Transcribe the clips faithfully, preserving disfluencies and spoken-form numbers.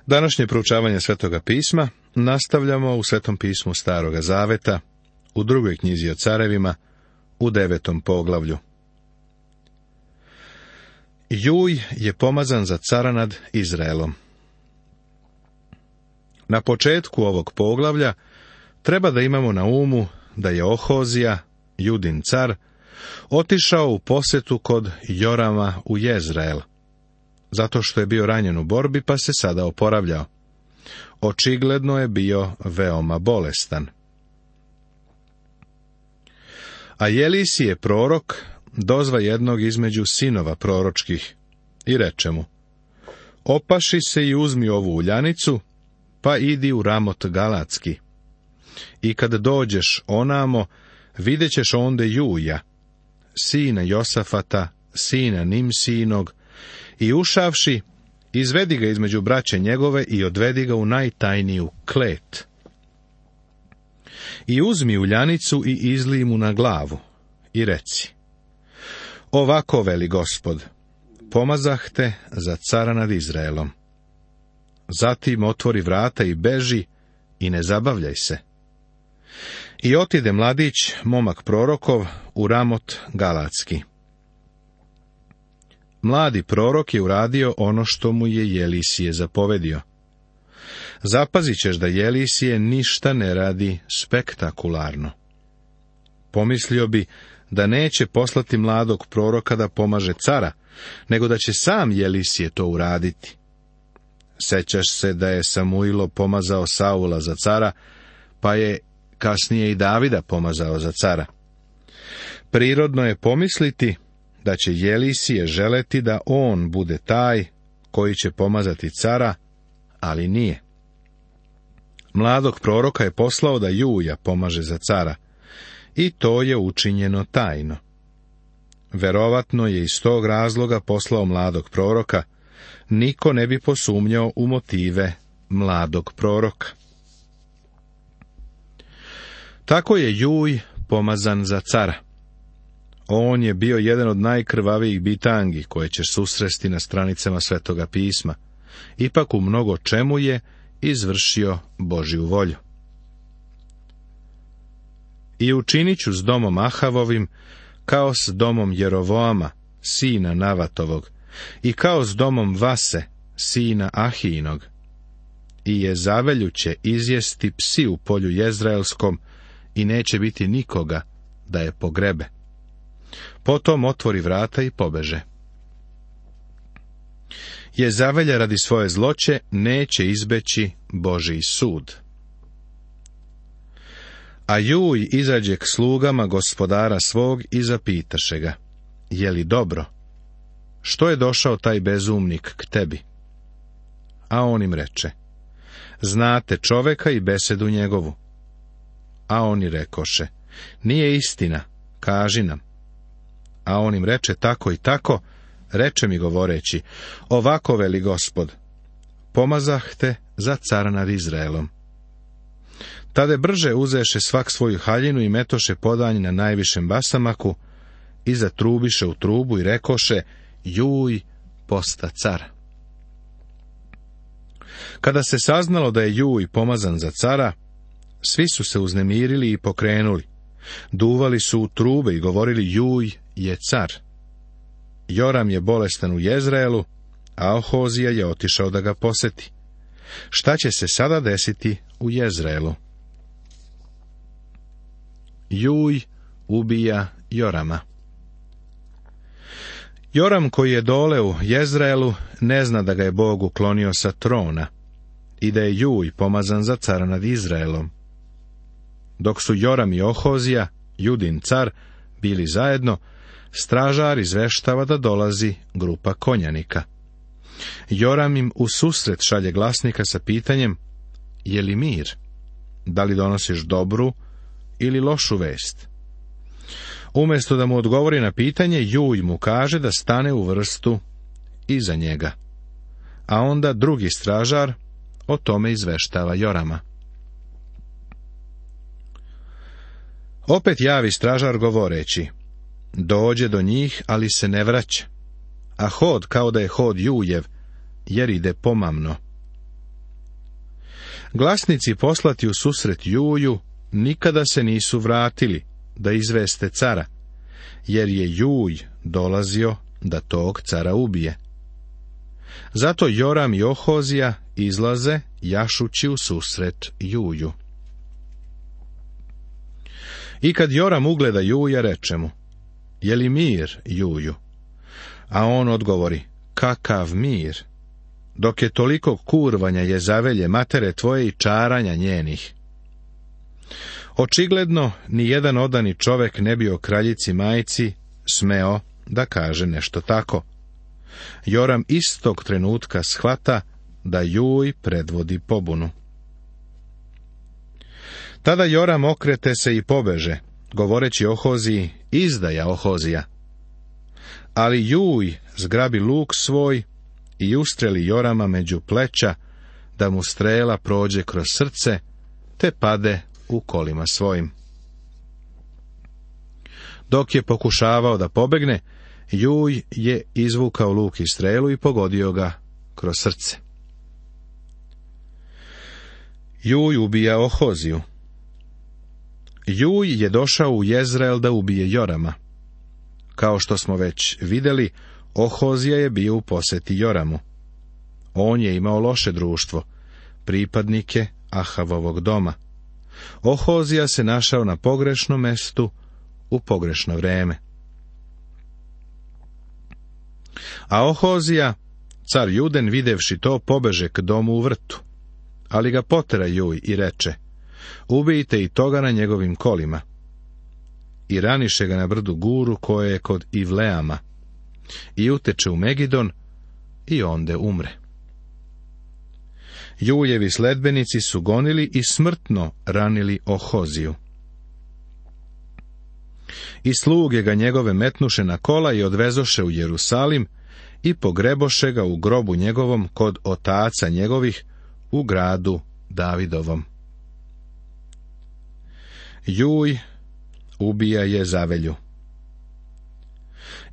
Današnje proučavanje Svetoga pisma nastavljamo u Svetom pismu Staroga zaveta, u drugoj knjizi o carevima, u devetom poglavlju. Juj je pomazan za cara nad Izraelom. Na početku ovog poglavlja treba da imamo na umu da je Ohozija, Judin car, otišao u posjetu kod Jorama u Jezrael, zato što je bio ranjen u borbi pa se sada oporavljao. Očigledno je bio veoma bolestan. A Jelisije prorok dozva jednog između sinova proročkih i reče mu: opaši se i uzmi ovu uljanicu, pa idi u Ramot Galatski. I kad dođeš onamo, vidjet ćeš onde Juja, sina Josafata, sina Nimsinog, i ušavši, izvedi ga između braće njegove i odvedi ga u najtajniju klet. I uzmi uljanicu i izlij mu na glavu i reci: ovako veli Gospod, pomazah te za cara nad Izraelom. Zatim otvori vrata i beži i ne zabavljaj se. I otide mladić, momak prorokov, u Ramot Galatski. Mladi prorok je uradio ono što mu je Jelisije zapovedio. Zapazit ćeš da Jelisije ništa ne radi spektakularno. Pomislio bi da neće poslati mladog proroka da pomaže cara, nego da će sam Jelisije to uraditi. Sećaš se da je Samuilo pomazao Saula za cara, pa je kasnije i Davida pomazao za cara. Prirodno je pomisliti da će Jelisije želeti da on bude taj koji će pomazati cara, ali nije. Mladog proroka je poslao da Juja pomaže za cara, i to je učinjeno tajno. Verovatno je iz tog razloga poslao mladog proroka, niko ne bi posumnjao u motive mladog proroka. Tako je Juj pomazan za cara. On je bio jedan od najkrvavijih bitangi koje ćeš susresti na stranicama Svetoga pisma. Ipak u mnogo čemu je izvršio Božju volju. I učinit ću s domom Ahavovim kao s domom Jerovoama, sina Navatovog, i kao s domom Vase, sina Ahijinog. I Jezavelju će izjesti psi u polju Jezraelskom i neće biti nikoga da je pogrebe. Potom otvori vrata i pobeže. Jezavelja radi svoje zloće neće izbeći Božji sud. A Juj izađe k slugama gospodara svog i zapitaše ga: je li dobro? Što je došao taj bezumnik k tebi? A on im reče: znate čoveka i besedu njegovu. A oni rekoše: nije istina, kaži nam. A on im reče: tako i tako, reče mi govoreći: ovako veli Gospod, pomazah te za cara nad Izraelom. Tade brže uzeše svak svoju haljinu i metoše podanj na najvišem basamaku i zatrubiše u trubu i rekoše: Juj posta car. Kada se saznalo da je Juj pomazan za cara, svi su se uznemirili i pokrenuli. Duvali su u trube i govorili: Juj je car. Joram je bolestan u Jezraelu, a Ohozija je otišao da ga poseti. Šta će se sada desiti u Jezraelu? Juj ubija Jorama. Joram, koji je dole u Jezraelu, ne zna da ga je Bog uklonio sa trona i da je Juj pomazan za cara nad Izraelom. Dok su Joram i Ohozija, Judin car, bili zajedno, stražar izveštava da dolazi grupa konjanika. Joram im u susret šalje glasnika sa pitanjem: je li mir? Da li donosiš dobru ili lošu vest? Umjesto da mu odgovori na pitanje, Juj mu kaže da stane u vrstu iza njega. A onda drugi stražar o tome izveštava Jorama. Opet javi stražar govoreći: dođe do njih, ali se ne vraća, a hod kao da je hod Jujev, jer ide pomamno. Glasnici poslati u susret Juju nikada se nisu vratili da izveste cara, jer je Juj dolazio da tog cara ubije. Zato Joram i Ohozija izlaze jašući u susret Juju. I kad Joram ugleda Juja, reče mu: je li mir, Juju? A on odgovori: kakav mir, dok je toliko kurvanja Jezavelje matere tvoje i čaranja njenih. Očigledno ni jedan odani čovek ne bi o kraljici majci smeo da kaže nešto tako. Joram istog trenutka shvata da Juj predvodi pobunu. Tada Joram okrete se i pobeže, govoreći Ohoziji: izdaja, Ohozija. Ali Juj zgrabi luk svoj i ustreli Jorama među pleća, da mu strela prođe kroz srce, te pade u kolima svojim. Dok je pokušavao da pobegne, Juj je izvukao luk i strelu i pogodio ga kroz srce. Juj ubija Ohoziju. Juj je došao u Jezreel da ubije Jorama. Kao što smo već vidjeli, Ohozija je bio u poseti Joramu. On je imao loše društvo, pripadnike Ahavovog doma. Ohozija se našao na pogrešnom mestu u pogrešno vreme. A Ohozija, car Juden, videvši to, pobeže k domu u vrtu. Ali ga potera Juj i reče: ubijte i toga na njegovim kolima. I raniše ga na brdu Guru, koje je kod Ivleama, i uteče u Megidon, i onde umre. Jujevi sledbenici su gonili i smrtno ranili Ohoziju. I sluge ga njegove metnuše na kola i odvezoše u Jerusalim i pogreboše ga u grobu njegovom kod otaca njegovih u gradu Davidovom. Juj ubija Jezavelju.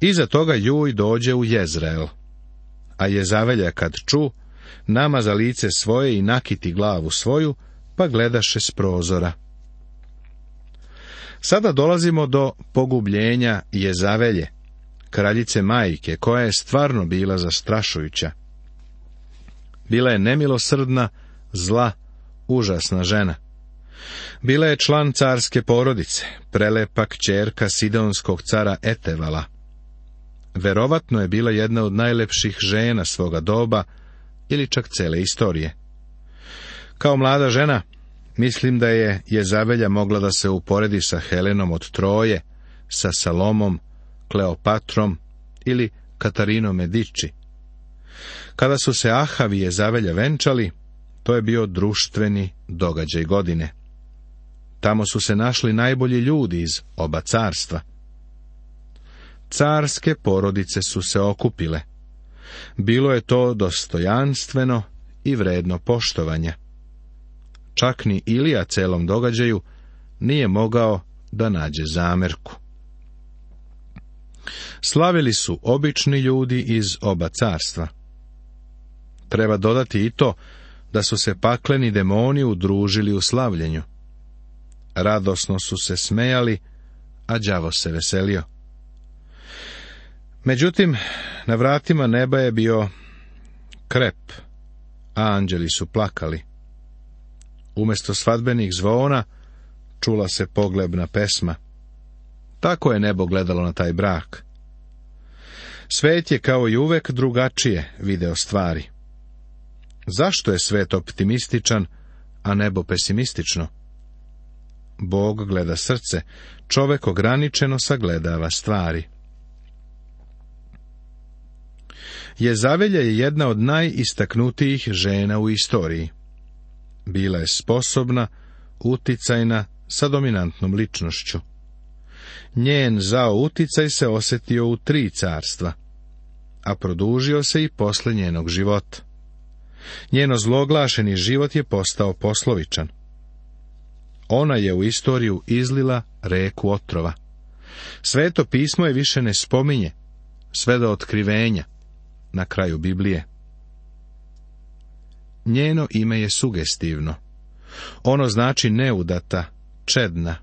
Iza toga Juj dođe u Jezreel, a Jezavelja kad ču, namaza lice svoje i nakiti glavu svoju, pa gledaše s prozora. Sada dolazimo do pogubljenja Jezavelje, kraljice majke, koja je stvarno bila zastrašujuća. Bila je nemilosrdna, zla, užasna žena. Bila je član carske porodice, prelepa kćerka sidonskog cara Etevala. Verovatno je bila jedna od najlepših žena svoga doba ili čak cele istorije. Kao mlada žena, mislim da je Jezavelja mogla da se uporedi sa Helenom od Troje, sa Salomom, Kleopatrom ili Katarinom Mediči. Kada su se Ahav i Jezavelja venčali, to je bio društveni događaj godine. Tamo su se našli najbolji ljudi iz oba carstva. Carske porodice su se okupile. Bilo je to dostojanstveno i vredno poštovanja. Čak ni Ilija celom događaju nije mogao da nađe zamerku. Slavili su obični ljudi iz oba carstva. Treba dodati i to da su se pakleni demoni udružili u slavljenju. Radosno su se smejali, a đavo se veselio. Međutim, na vratima neba je bio krep, a anđeli su plakali. Umjesto svadbenih zvona čula se poglebna pesma. Tako je nebo gledalo na taj brak. Svet je kao i uvek drugačije video stvari. Zašto je svet optimističan, a nebo pesimistično? Bog gleda srce, čovek ograničeno sagledava stvari. Jezavelja je jedna od najistaknutijih žena u istoriji. Bila je sposobna, uticajna, sa dominantnom ličnošću. Njen zao uticaj se osjetio u tri carstva, a produžio se i posle njenog života. Njeno zloglašeni život je postao poslovičan. Ona je u istoriju izlila reku otrova. Sveto pismo je više ne spominje, sve do otkrivenja, na kraju Biblije. Njeno ime je sugestivno, Ono znači neudata, čedna.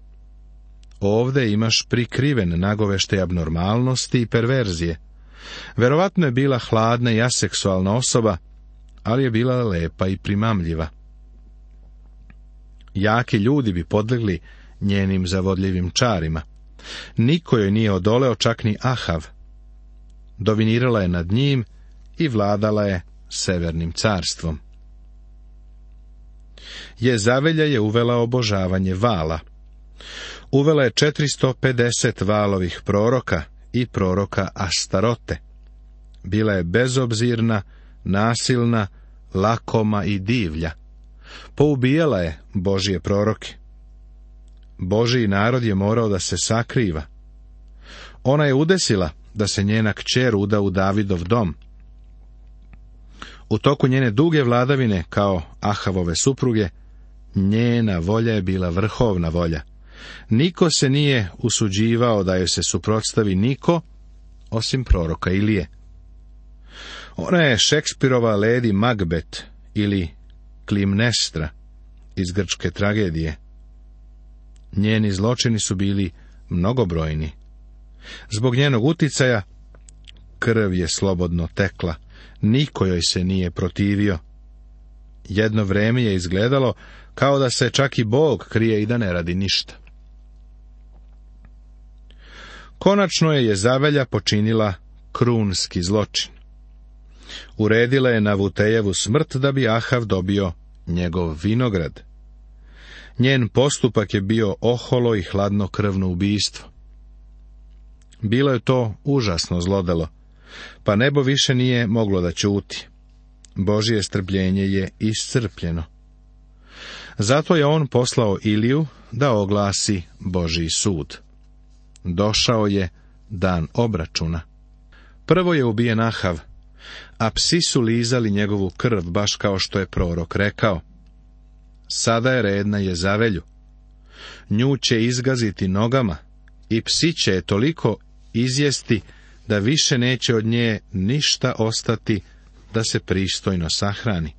Ovde imaš prikriven nagoveštaj abnormalnosti i perverzije. Verovatno je bila hladna i aseksualna osoba, ali je bila lepa i primamljiva. Jaki ljudi bi podlegli njenim zavodljivim čarima. Niko joj nije odoleo, čak ni Ahav. Dominirala je nad njim i vladala je severnim carstvom. Jezavelja je uvela obožavanje Vala. Uvela je četiristo pedeset Valovih proroka i proroka Astarote. Bila je bezobzirna, nasilna, lakoma i divlja. Poubijala je Božje proroke. Božji narod je morao da se sakriva. Ona je udesila da se njena kćer uda u Davidov dom. U toku njene duge vladavine, kao Ahavove supruge, njena volja je bila vrhovna volja. Niko se nije usuđivao da joj se suprotstavi, niko, osim proroka Ilije. Ona je Šekspirova Lady Macbeth ili Klimnestra iz grčke tragedije. Njeni zločini su bili mnogobrojni. Zbog njenog uticaja krv je slobodno tekla, niko joj se nije protivio. Jedno vreme je izgledalo kao da se čak i Bog krije i da ne radi ništa. Konačno je Jezavelja počinila krunski zločin. Uredila je Navutejevu smrt da bi Ahav dobio njegov vinograd. Njen postupak je bio oholo i hladnokrvno ubistvo. Bilo je to užasno zlodelo, pa nebo više nije moglo da ćuti. Božje strpljenje je iscrpljeno. Zato je on poslao Iliju da oglasi Božji sud. Došao je dan obračuna. Prvo je ubijen Ahav, a psi su lizali njegovu krv, baš kao što je prorok rekao. Sada je red na Jezavelju. Nju će izgaziti nogama i psi će je toliko izjesti da više neće od nje ništa ostati da se pristojno sahrani.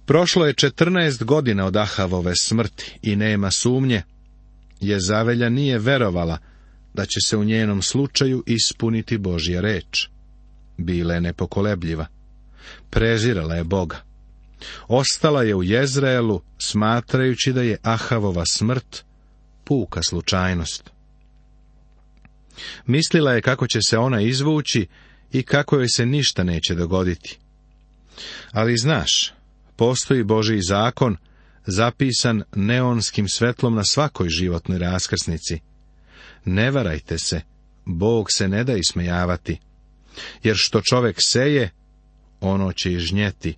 Prošlo je četrnaest godina od Ahavove smrti i nema sumnje, Jezavelja nije verovala da će se u njenom slučaju ispuniti Božja reč. Bila je nepokolebljiva. Prezirala je Boga. Ostala je u Jezreelu, smatrajući da je Ahavova smrt puka slučajnost. Mislila je kako će se ona izvući i kako joj se ništa neće dogoditi. Ali znaš, postoji Božji zakon, zapisan neonskim svetlom na svakoj životnoj raskrsnici. Ne varajte se, Bog se ne da ismejavati, jer što čovek seje, ono će i žnjeti.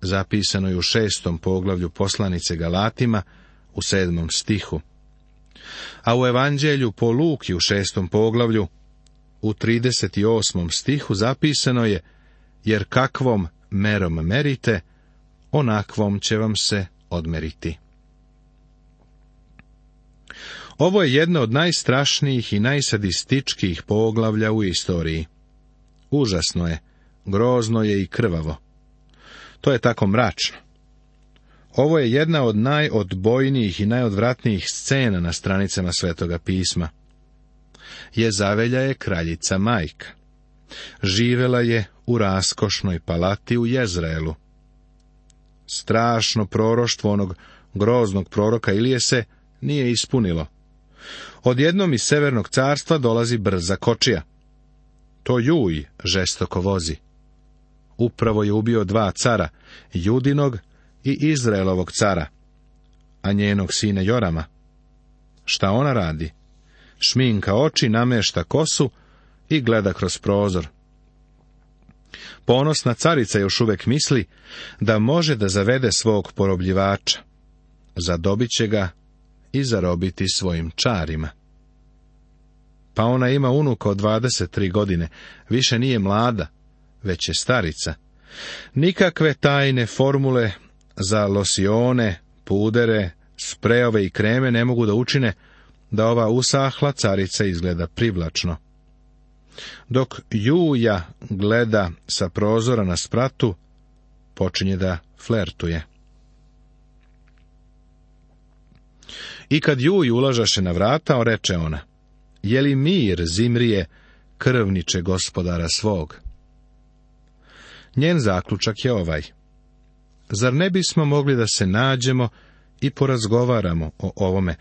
Zapisano je u šestom poglavlju poslanice Galatima, u sedmom stihu. A u Evanđelju po Luki u šestom poglavlju, u trideset osmom stihu zapisano je, jer kakvom merom merite, onakvom će vam se odmeriti. Ovo je jedno od najstrašnijih i najsadističkijih poglavlja u istoriji. Užasno je, grozno je i krvavo. To je tako mračno. Ovo je jedna od najodbojnijih i najodvratnijih scena na stranicama Svetoga pisma. Jezavelja je kraljica majka. Živela je u raskošnoj palati u Jezreelu. Strašno proroštvo onog groznog proroka Ilije se nije ispunilo. Odjednom iz severnog carstva dolazi brza kočija. To Juj žestoko vozi. Upravo je ubio dva cara, Judinog i Izraelovog cara, a njenog sina Jorama. Šta ona radi? Šminka oči, namešta kosu i gleda kroz prozor. Ponosna carica još uvek misli da može da zavede svog porobljivača. Zadobit će ga i zarobiti svojim čarima. Pa ona ima unuka od dvadeset tri godine, više nije mlada, već je starica. Nikakve tajne formule za losione, pudere, sprejove i kreme ne mogu da učine da ova usahla carica izgleda privlačno. Dok Juja gleda sa prozora na spratu, počinje da flertuje. I kad Juj ulažaše na vrata, reče ona, je li mir, Zimrije, krvniče gospodara svog? Njen zaključak je ovaj, zar ne bismo mogli da se nađemo i porazgovaramo o ovome,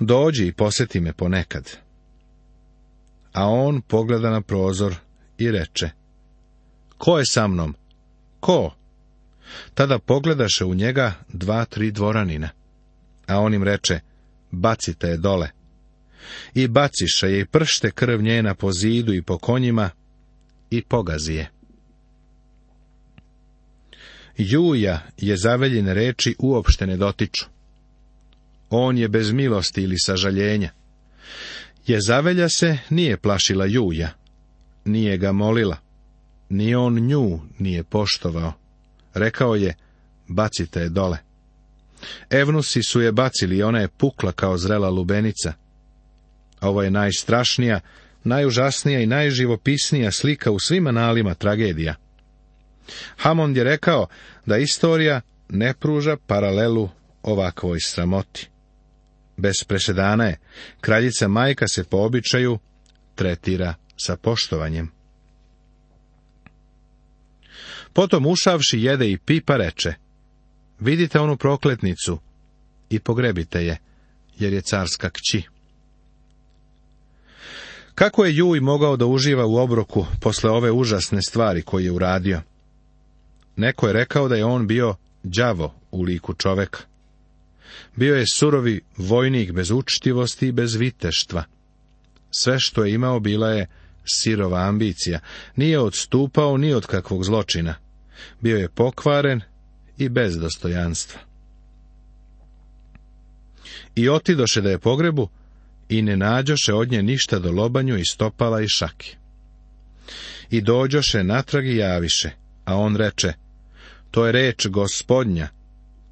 dođi i posjeti me ponekad. A on pogleda na prozor i reče, ko je sa mnom? Ko? Tada pogledaše u njega dva, tri dvoranina, a on im reče, bacite je dole. I baciše je i pršte krv njena po zidu i po konjima i pogazi je. Juja Jezaveljine reči uopšte ne dotiču. On je bez milosti ili sažaljenja. Jezavelja se nije plašila Juja, nije ga molila, ni on nju nije poštovao. Rekao je, bacite je dole. Evnusi su je bacili i ona je pukla kao zrela lubenica. Ovo je najstrašnija, najužasnija i najživopisnija slika u svim analima tragedija. Hamond je rekao da istorija ne pruža paralelu ovakvoj sramoti. Bez presedana je, kraljica majka se po običaju tretira sa poštovanjem. Potom ušavši jede i pipa reče, vidite onu prokletnicu i pogrebite je, jer je carska kći. Kako je Juj mogao da uživa u obroku posle ove užasne stvari koje je uradio? Neko je rekao da je on bio đavo u liku čoveka. Bio je surovi vojnik bez učtivosti i bez viteštva. Sve što je imao bila je sirova ambicija. Nije odstupao ni od kakvog zločina. Bio je pokvaren i bez dostojanstva. I otidoše da je pogrebu i ne nađoše od nje ništa do lobanju i stopala i šaki. I dođoše natrag i javiše, a on reče, to je reč Gospodnja,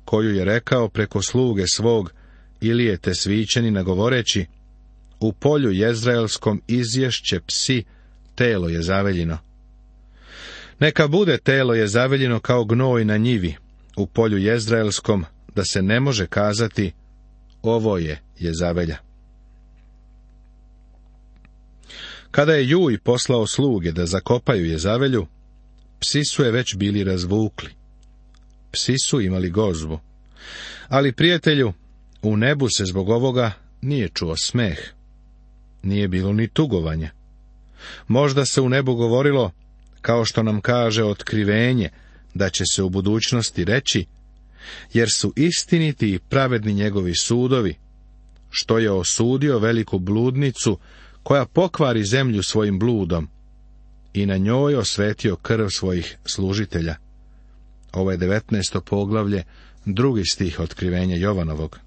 koju je rekao preko sluge svog Ilije Tesvićanina govoreći, u polju jezraelskom izješće psi, telo Jezaveljino. Neka bude telo Jezaveljino kao gnoj na njivi, u polju jezraelskom, da se ne može kazati, ovo je Jezavelja. Kada je Juj poslao sluge da zakopaju Jezavelju, psi su je već bili razvukli. Psi su imali gozbu. Ali, prijatelju, u nebu se zbog ovoga nije čuo smeh. Nije bilo ni tugovanja. Možda se u nebu govorilo, kao što nam kaže otkrivenje, da će se u budućnosti reći, jer su istiniti i pravedni njegovi sudovi, što je osudio veliku bludnicu, koja pokvari zemlju svojim bludom, i na njoj osvetio krv svojih služitelja. Ovo je devetnaesto poglavlje, drugi stih otkrivenja Jovanovog.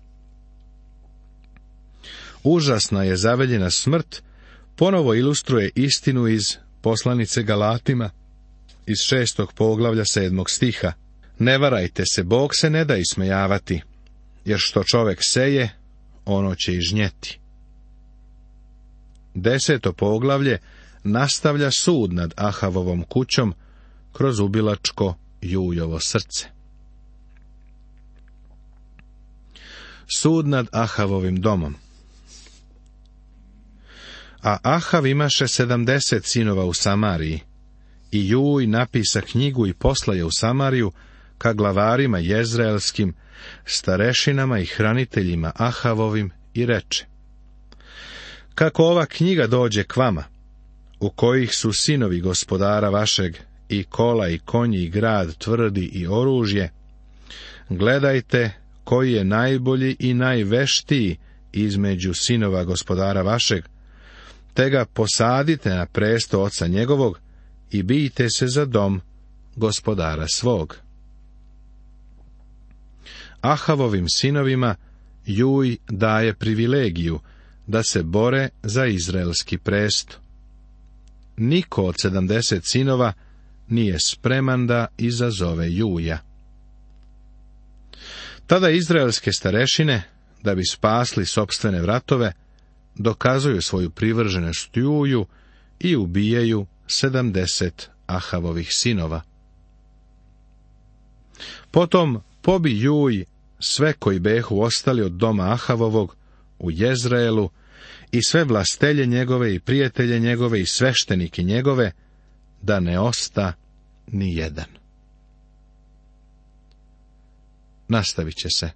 Užasna je Jezaveljina smrt, ponovo ilustruje istinu iz poslanice Galatima, iz šestog poglavlja sedmog stiha. Ne varajte se, Bog se ne da ismejavati, jer što čovek seje, ono će i žnjeti. Deseto poglavlje nastavlja sud nad Ahavovom kućom kroz ubilačko Jujovo srce. Sud nad Ahavovim domom. A Ahav imaše sedamdeset sinova u Samariji, i Juj napisa knjigu i posla je u Samariju ka glavarima jezraelskim, starešinama i hraniteljima Ahavovim i reče, kako ova knjiga dođe k vama, u kojih su sinovi gospodara vašeg, i kola i konji i grad tvrdi i oružje, gledajte koji je najbolji i najveštiji između sinova gospodara vašeg, te ga posadite na presto oca njegovog i bijte se za dom gospodara svog. Ahavovim sinovima Juj daje privilegiju da se bore za izraelski presto. Niko od sedamdeset sinova nije spreman da izazove Juja. Tada izraelske starešine, da bi spasli sopstvene vratove, dokazuju svoju privrženost Juju i ubijaju sedamdeset Ahavovih sinova. Potom pobi Juj sve koji behu ostali od doma Ahavovog u Jezreelu, i sve vlastelje njegove i prijatelje njegove i sveštenike njegove, da ne osta ni jedan. Nastavit će se